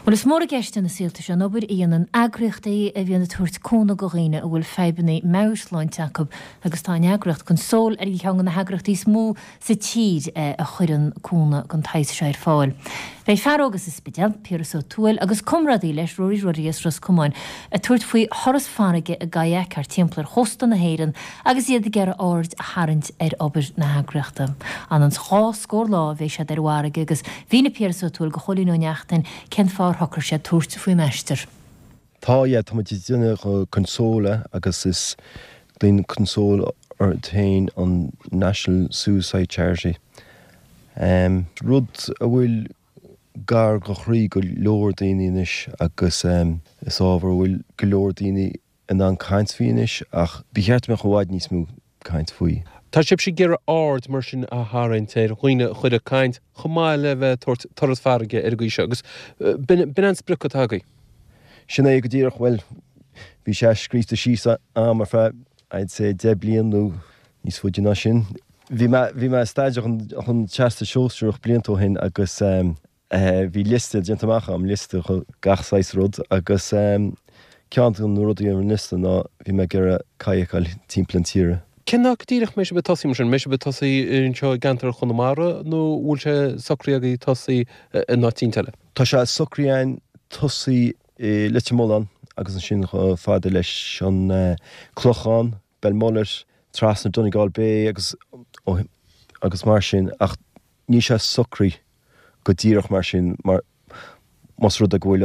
Bhuel, is mór i gceist ina saolta seo an obair a dhéanann eagraíochtaí a bhíonn ag tabhairt cúnamh do dhaoine a bhfuil fadhbanna meabhairshláinte acu agus tá an eagraíocht Console ar cheann de na heagraíochtaí is mó sa tír a chuireann cúnamh den tsaghas seo ar fáil. Beidh fear óg as an Spidéal, Piaras Ó Tuathail, agus comrádaí leis, Rory Ruddy as Ros Comáin, ag tabhairt faoi thuras farraige i gkayak thart timpeall ar chósta na hÉireann agus iad ag iarraidh aird a tharraingt ar obair na heagraíochta. Anonn 's 2 scór lá a bheidh siad ar an bhfarraige agus mhínigh Piaras Ó Tuathail do Chóilín Ó Neachtain cén fáth ar shocraigh siad tabhairt faoin aistear. Tá, yeah, tá muid ag déanamh Console agus is glaonn Console ort féin an National Suicide Charity. Rud a bhfuil gar do chroí go leor daoine anois agus is ábhar a bhfuil go leor daoine in ann caint faoi anois ach ba cheart go mbeadh i bhfad níos mó caint faoi. Tá sibhse ag iarraidh aird mar sin a tharraingt ar dhaoine a chur ag caint chomh maith le bheith ag tabhairt turas farraige ar an gcaoi seo agus b'in an sprioc atá agaibh. Sin é go díreach, bhuel bhí sé scríofa síos a'm ar feadh I'd say 10 bliain nó níos faide ná sin. Bhí mé, bhí mé ag staidéar chun Teastas Sóisearach blianta ó shin agus Bhí liosta déanta amach agam, liosta de gach saghas rud agus ceann de na rudaí ar an liosta ná bhí mé ag iarraidh kayakáil timpeall an tíre. Cén áit go díreach mbeidh sibh ag tosaí mar sin? Mbeidh sibh ag tosaí anseo i gceantar Chonamara nó bhfuil sé socraithe agaibh tosaí in áit eicínt eile? Tá sé socraithe againn tosaí i Leitir Mealláin agus ansin chomh fada leis an Clochán, Belmullet, trasna Donegal Bay agus agus mar sin ach níl sé socraithe go díreach mar sin mar más rud é go bhfuil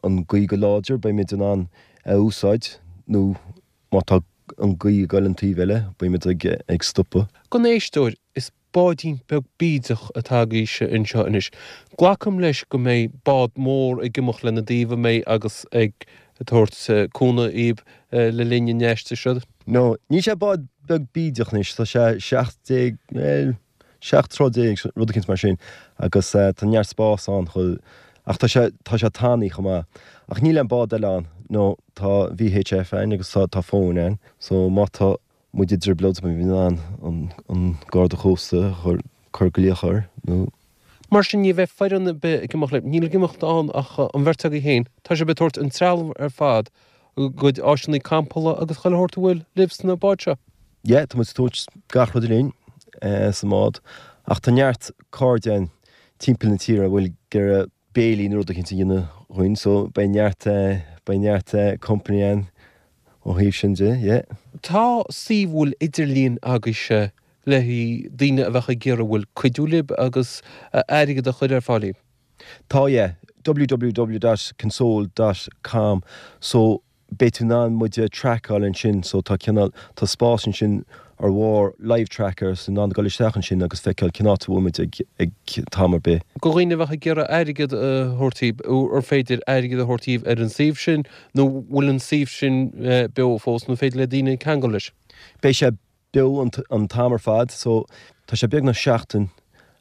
an gaoth go láidir beimid in ann é a úsáid nó má tá an gaoth ag dul an taobh eile beimid ag stopadh. Don éisteoir, is báidín beag bídeach atá agaibhse anseo anois. Glacaim leis go mbeidh bád mór ag imeacht lena dtaobh, an mbeidh, agus ag tabhairt cúnamh dhaoib le linn an aistir seo? No, níl sé bád beag bídeach anois, tá sé 17, bhuel, 17 troigh, rud eicínt mar sin, agus tá neart spás ann chomh, ach tá sé, tá sé tanaí chomh maith. Ach níl aon bád eile ann, no, tá VHF ann agus tá, tá fóin ann, so má tá muid i dtrioblóid beimid in ann an, an Garda Cósta a chur, cur glaoch air, nó. Mar sin ní bheidh foireann ar bith ag imeacht libh, níl ag imeacht ann ach an bheirt agaibh féin, tá sibh ag tabhairt an trealamh ar fad, a gcuid áiseanna campála agus chuile shórt a bhfuil libh sna báid seo. Yeah, tá muid ag tabhairt gach rud linn sa mbád ach tá neart cairde againn timpeall na tíre a bhfuil ag iarraidh béilí nó rud eicínt a dhéanamh dhúinn so beidh neart, beidh neart company ann ó thaobh sin de, yeah. Tá suíomh idirlín agaibhse le haghaidh daoine a bheadh ag iarraidh bhfuil cuidiú libh agus airgead a chur ar fáil daoibh? Tá, yeah. www dot console dot com so beidh tú in ann muid a traiceáil ansin so tá cineál, tá spás ansin ar bharr live tracker so in ann dul isteach ansin agus feiceáil cén áit a bhfuil muid ag ag t-am ar bith. Do dhaoine a bheadh ag iarraidh airgead a thabhairt daoibh, ar féidir airgead a thabhairt daoibh ar an suíomh sin nó bhfuil an suíomh sin beo fós nó féidir le daoine ceangal leis? Beidh sé beo an t-am ar fad so tá sé beagnach seachtain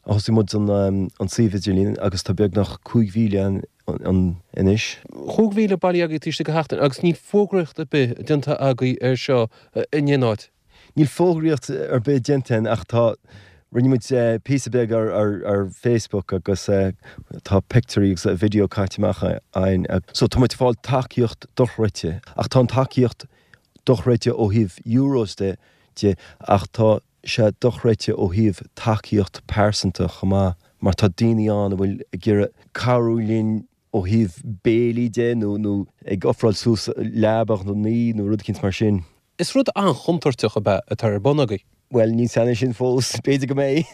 a thosaigh muid an suíomh idirlín agus tá beagnach 5,000 ann anois. 5,000 bailithe agaibh taobh istigh de sheachtain agus níl fógraíocht ar bith déanta agaibh ar seo in aon áit. Níl fógraíocht ar bith déanta againn ach tá, rinne muid píosa beag ar Facebook agus tá pictiúirí agus video caite amach againn so tá muid ag fáil tacaíocht dochreidte ach tá an tacaíocht dochreidte ó thaobh euros de de ach tá sé dochreidte ó thaobh tacaíocht pearsanta chomh maith mar tá daoine ann a bhfuil ag iarraidh cabhrú linn ó thaobh béilí de nó nó ag ofráil suas leaba don oíche nó rud eicínt mar sin. Is rud an-chontúirteach ab ea atá ar bun agaibh. Bhuel, níl 's a'm sin fós, b'fhéidir go mbeidh.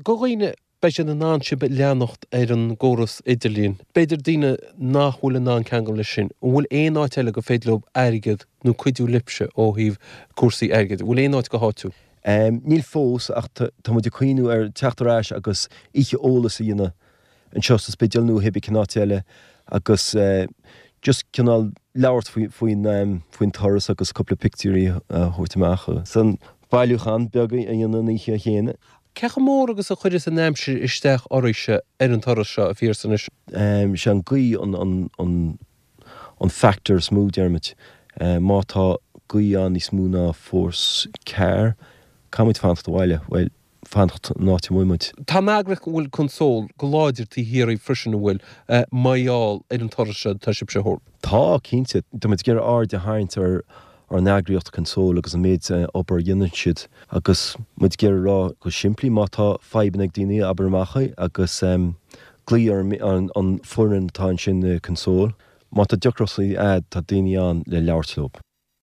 Do dhaoine Beidh siad in ann sibh a leanacht ar an gcóras idirlín. B'fhéidir daoine nach bhfuil in ann ceangal leis sin, an bhfuil aon áit eile gur féidir leo airgead nó cuidiú libhse ó thaobh cúrsaí airgid? An bhfuil aon áit go háitiúil? Níl fós ach tá muid ag cuimhniú ar teacht ar ais agus oíche eolais a dhéanamh anseo sa Spidéal nó cibé cén áit eile agus just cineál labhairt faoin faoin turas agus cúpla pictiúirí a thabhairt amach agus an bailiúchán beag a dhéanamh an oíche chéanna. Cé chomh mór agus a chuireas an aimsir isteach oraibhse ar an turas seo, a Phiarsaigh, anois? Sé an gaoth an factor is mó, deirimid. Má tá gaoth ann níos mó ná force 4, caithfimid fanacht abhaile. Bhuel. fanacht an áit a bhfuil muid. Tá an eagraíocht an bhfuil Console go láidir taobh thiar dhíbh freisin an bhfuil, mar gheall ar an turas seo atá sibhse a thabhairt. Tá, cinnte. Tá muid ag iarraidh aird a tharraingt ar ár n-eagraíocht Console agus an méid obair a dhéanann siad agus muid ag iarraidh a rá go simplí má tá fadhbanna ag daoine abair amach é agus glaoigh ar an foireann atá ansin i Console. Má tá deacrachtaí a'd tá daoine ann le labhairt leo.